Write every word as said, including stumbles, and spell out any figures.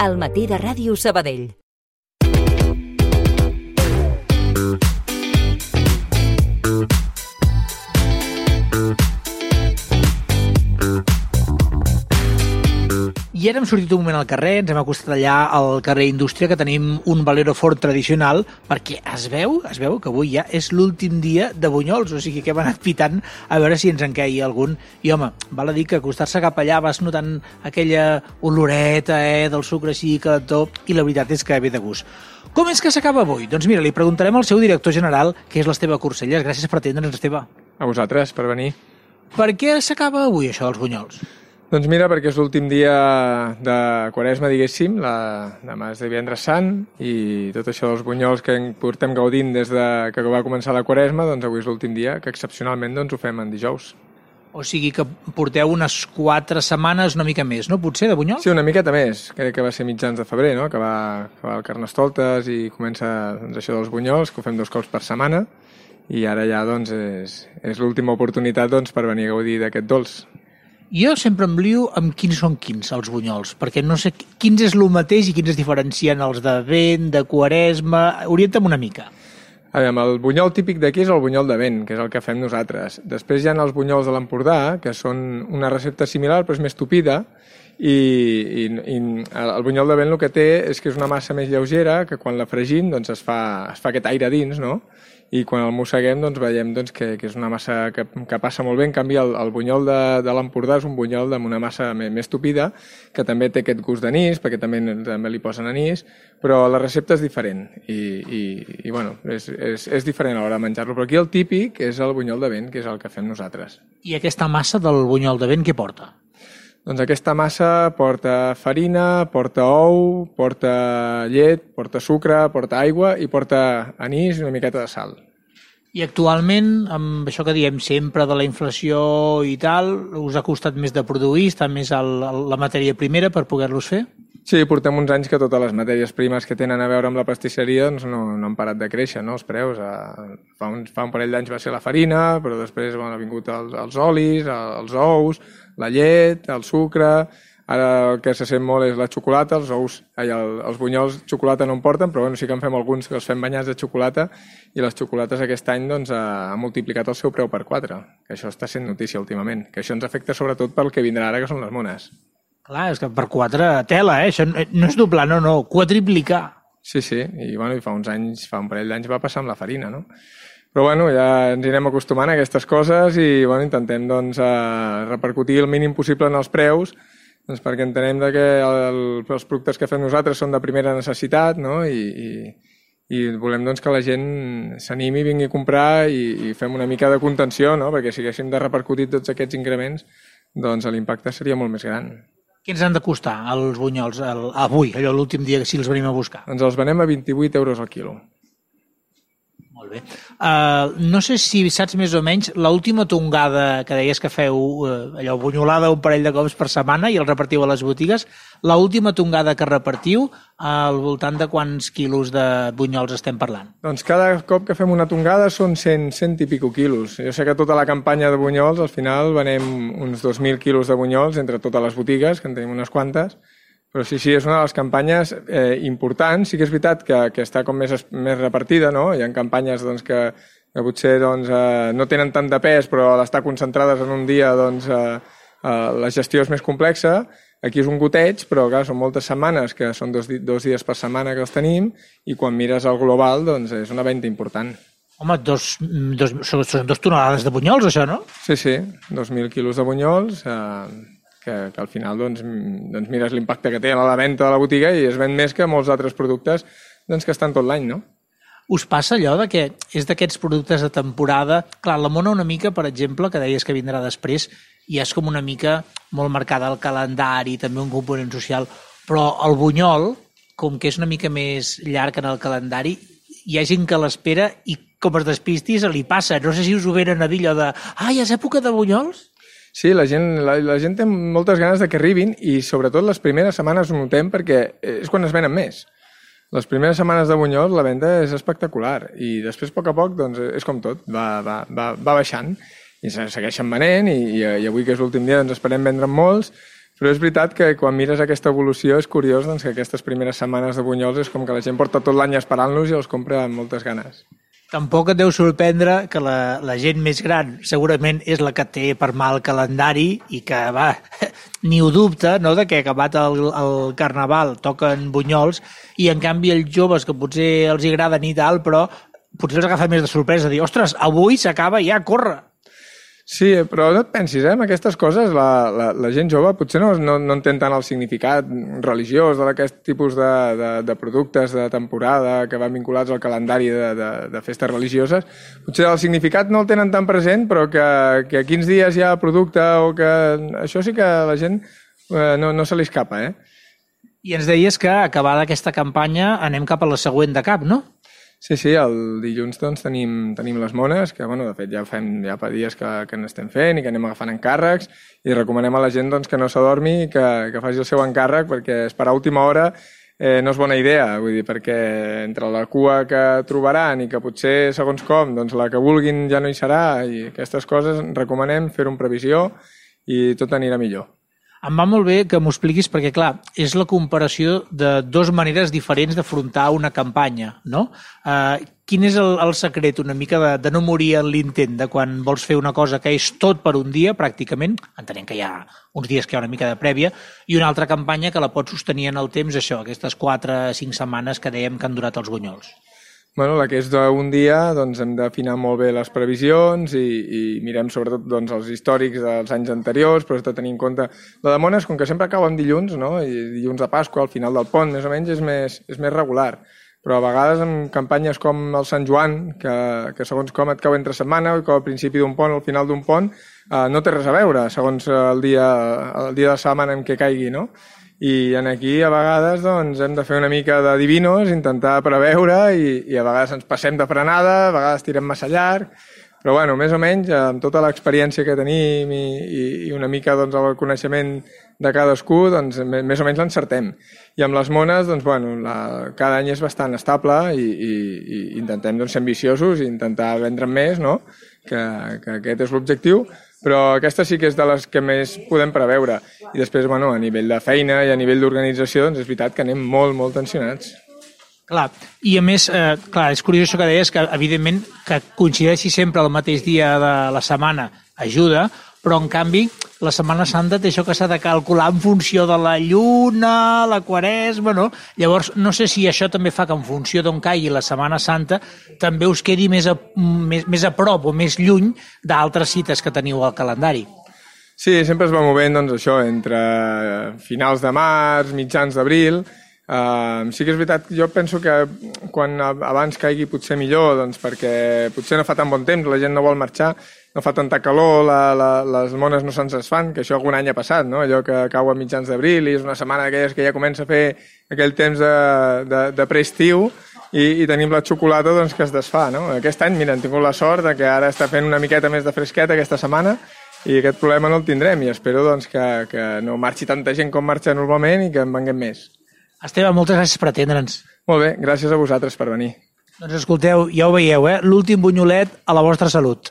al matí de Ràdio Sabadell. I ara hem sortit un moment al carrer, ens hem acostat allà al carrer Indústria, que tenim un Valero Ford tradicional, perquè es veu, es veu que avui ja és l'últim dia de bunyols, o sigui que hem anat pitant a veure si ens en queia algun. I home, val a dir que acostar-se cap allà vas notant aquella oloreta eh, del sucre així calentó, i la veritat és que ve de gust. Com és que s'acaba avui? Doncs mira, li preguntarem al seu director general, que és l'Esteve Corcelles. Gràcies per atendre'ns, Esteve. A vosaltres, per venir. Per què s'acaba avui això dels bunyols? Doncs mira, perquè és l'últim dia de Quaresma, diguéssim, la, demà és divendres sant, i tot això dels bunyols que portem gaudint des de que va començar la Quaresma, doncs avui és l'últim dia, que excepcionalment doncs, ho fem en dijous. O sigui que porteu unes quatre setmanes, una mica més, no? Potser, de bunyols? Sí, una miqueta més. Crec que va ser mitjans de febrer, no? Que va, que va el Carnestoltes i comença doncs, això dels bunyols, que ho fem dos cops per setmana, i ara ja doncs, és, és l'última oportunitat doncs, per venir a gaudir d'aquest dolç. Jo sempre em lio amb quins són quins, els bunyols, perquè no sé quins és el mateix i quins es diferencien els de vent, de Quaresma. Orienta'm una mica. A veure, el bunyol típic d'aquí és el bunyol de vent, que és el que fem nosaltres. Després hi ha els bunyols de l'Empordà, que són una recepta similar però és més tupida, i, i, i el bunyol de vent el que té és que és una massa més lleugera, que quan la fregim doncs, es, fa, es fa aquest aire dins, no? I quan el mosseguem doncs, veiem doncs, que, que és una massa que, que passa molt bé. En canvi, el, el bunyol de, de l'Empordà és un bunyol amb una massa més, més tupida, que també té aquest gust d'anís, perquè també, també li posen anís, però la recepta és diferent i, i, i bueno, és, és, és diferent a l'hora de menjar-lo. Però aquí el típic és el bunyol de vent, que és el que fem nosaltres. I aquesta massa del bunyol de vent què porta? Doncs aquesta massa porta farina, porta ou, porta llet, porta sucre, porta aigua i porta anís i una miqueta de sal. I actualment, amb això que diem sempre de la inflació i tal, us ha costat més de produir, està més el, la matèria primera per poder-los fer? Sí, portem uns anys que totes les matèries primes que tenen a veure amb la pastisseria doncs no, no han parat de créixer, no, els preus. Fa un, fa un parell d'anys va ser la farina, però després bueno, han vingut els, els olis, els ous, la llet, el sucre. Ara el que se sent molt és la xocolata, els ous, ai, el, els bunyols xocolata no en porten, però bueno, sí que en fem alguns que els fem banyats de xocolata, i les xocolates aquest any doncs, ha, ha multiplicat el seu preu per quatre, que això està sent notícia últimament, que això ens afecta sobretot pel que vindrà ara, que són les mones. Clar, és que per quatre tela, eh? Això no és doblar, no, no, quadriplicar. Sí, sí, i, bueno, i fa uns anys, fa un parell d'anys va passar amb la farina, no? Però bueno, ja ens anirem acostumant a aquestes coses i bueno, intentem doncs, eh, repercutir el mínim possible en els preus, doncs, perquè entenem que el, els productes que fem nosaltres són de primera necessitat, no? I, i, i volem doncs, que la gent s'animi, vingui a comprar i, i fem una mica de contenció, no? Perquè si haguéssim de repercutir tots aquests increments, doncs l'impacte seria molt més gran. Què ens han de costar els bunyols el, avui, allò l'últim dia que si els venim a buscar? Doncs els venem a vint-i-vuit euros al quilo. Molt bé. Uh, no sé si saps més o menys l'última tongada que deies que feu, uh, allò bunyolada un parell de cops per setmana i el repartiu a les botigues, l'última tongada que repartiu al voltant de quants quilos de bunyols estem parlant? Doncs cada cop que fem una tongada són cent, cent i pico quilos. Jo sé que tota la campanya de bunyols al final venem uns dos mil quilos de bunyols entre totes les botigues, que en tenim unes quantes. Però sí, sí, és una de les campanyes eh, importants. Sí que és veritat que, que està com més, més repartida, no? Hi ha campanyes doncs, que, que potser doncs, eh, no tenen tant de pes, però al estar concentrades en un dia doncs, eh, eh, la gestió és més complexa. Aquí és un goteig, però clar, són moltes setmanes, que són dos, dos dies per setmana que els tenim, i quan mires el global doncs, és una venda important. Home, dos, dos, són dos tonelades de bunyols, això, no? Sí, sí, dos mil quilos de bunyols... Eh, Que, que al final doncs, doncs mires l'impacte que té a la venda de la botiga i es ven més que molts altres productes doncs, que estan tot l'any, no? Us passa allò de que és d'aquests productes de temporada... Clar, la mona una mica, per exemple, que deies que vindrà després, i és com una mica molt marcada el calendari, també un component social, però el bunyol, com que és una mica més llarg en el calendari, hi ha gent que l'espera i com es despisti se li passa. No sé si us ho venen a dir allò de «Ai, és època de bunyols?» Sí, la gent, la, la gent té moltes ganes de que arribin i sobretot les primeres setmanes ho notem perquè és quan es venen més. Les primeres setmanes de bunyols la venda és espectacular i després a poc a poc doncs, és com tot, va, va, va, va baixant i segueixen venent i, i, i avui que és l'últim dia doncs esperem vendre molts, Però és veritat que quan mires aquesta evolució és curiós doncs, que aquestes primeres setmanes de bunyols és com que la gent porta tot l'any esperant-los i els compra amb moltes ganes. Tampoc et deu sorprendre que la, la gent més gran segurament és la que té per mà el calendari i que, va, ni ho dubta, no?, de que acabat el, el Carnaval toquen bunyols i, en canvi, els joves que potser els agraden i tal, però potser els agafa més de sorpresa, dir, ostres, avui s'acaba ja, corre! Sí, però no et pensis, eh? Amb aquestes coses la, la, la gent jove potser no, no, no entén tant el significat religiós d'aquest tipus de, de, de productes de temporada que van vinculats al calendari de, de, de festes religioses. Potser el significat no el tenen tan present, però que, que a quins dies hi ha producte o que... Això sí que la gent eh, no, no se li escapa, eh? I ens deies que, acabada aquesta campanya, anem cap a la següent de cap, no? Sí, sí, el dilluns doncs, tenim, tenim les mones, que bueno, de fet ja fem ja fa dies que, que n'estem fent i que anem agafant encàrrecs i recomanem a la gent doncs, que no s'adormi i que, que faci el seu encàrrec perquè esperar a última hora eh, no és bona idea, vull dir, perquè entre la cua que trobaran i que potser segons com doncs, la que vulguin ja no hi serà i aquestes coses recomanem fer-ho amb previsió i tot anirà millor. Em va molt bé que m'ho expliquis perquè, clar, és la comparació de dues maneres diferents d'afrontar una campanya, no? Eh, quin és el, el secret una mica de, de no morir en l'intent de quan vols fer una cosa que és tot per un dia, pràcticament, entenent que hi ha uns dies que hi ha una mica de prèvia, i una altra campanya que la pots sostenir en el temps, això, aquestes quatre o cinc setmanes que dèiem que han durat els bunyols? Bueno, la que és d'un dia, doncs hem d'afinar molt bé les previsions i, i mirem sobretot doncs, els històrics dels anys anteriors, però has de tenir en compte... La de mones, com que sempre cau en dilluns, no? I dilluns de Pasqua, al final del pont, més o menys, és més, és més regular. Però a vegades en campanyes com el Sant Joan, que, que segons com et cau entre setmana, o que al principi d'un pont o al final d'un pont, eh, no té res a veure, segons el dia, el dia de setmana en què caigui, no? I en aquí a vegades doncs, hem de fer una mica de divinos, intentar preveure i, i a vegades ens passem de frenada, a vegades tirem massa llarg, però bueno, més o menys amb tota l'experiència que tenim i, i, i una mica doncs, el coneixement de cadascú, doncs, més o menys l'encertem. I amb les mones, doncs, bueno, la, cada any és bastant estable i, i, i intentem doncs, ser ambiciosos i intentar vendre més, no? que, que aquest és l'objectiu, però aquesta sí que és de les que més podem preveure. I després, bueno, a nivell de feina i a nivell d'organització, doncs és veritat que anem molt, molt tensionats. Clar, i a més, eh, clar, és curiós això que deies, que evidentment que coincideixi sempre el mateix dia de la setmana ajuda, però en canvi la Setmana Santa té això que s'ha de calcular en funció de la lluna, la quaresma, no? Llavors, no sé si això també fa que en funció d'on caigui la Setmana Santa també us quedi més a, més, més a prop o més lluny d'altres cites que teniu al calendari. Sí, sempre es va movent, doncs, això, entre finals de març, mitjans d'abril. Uh, sí que és veritat, jo penso que quan abans caigui potser millor, doncs perquè potser no fa tan bon temps, la gent no vol marxar, no fa tanta calor, la, la, les mones no se'ns desfan, que això algun any ha passat, no? Allò que cau a mitjans d'abril i és una setmana d'aquelles que ja comença a fer aquell temps de, de, de preestiu i, i tenim la xocolata doncs, que es desfà, no? Aquest any, mira, hem tingut la sort de que ara està fent una miqueta més de fresqueta aquesta setmana i aquest problema no el tindrem i espero doncs, que, que no marxi tanta gent com marxa normalment i que en venguem més. Esteve, moltes gràcies per atendre'ns. Molt bé, gràcies a vosaltres per venir. Doncs escolteu, ja ho veieu, eh? L'últim bunyolet a la vostra salut.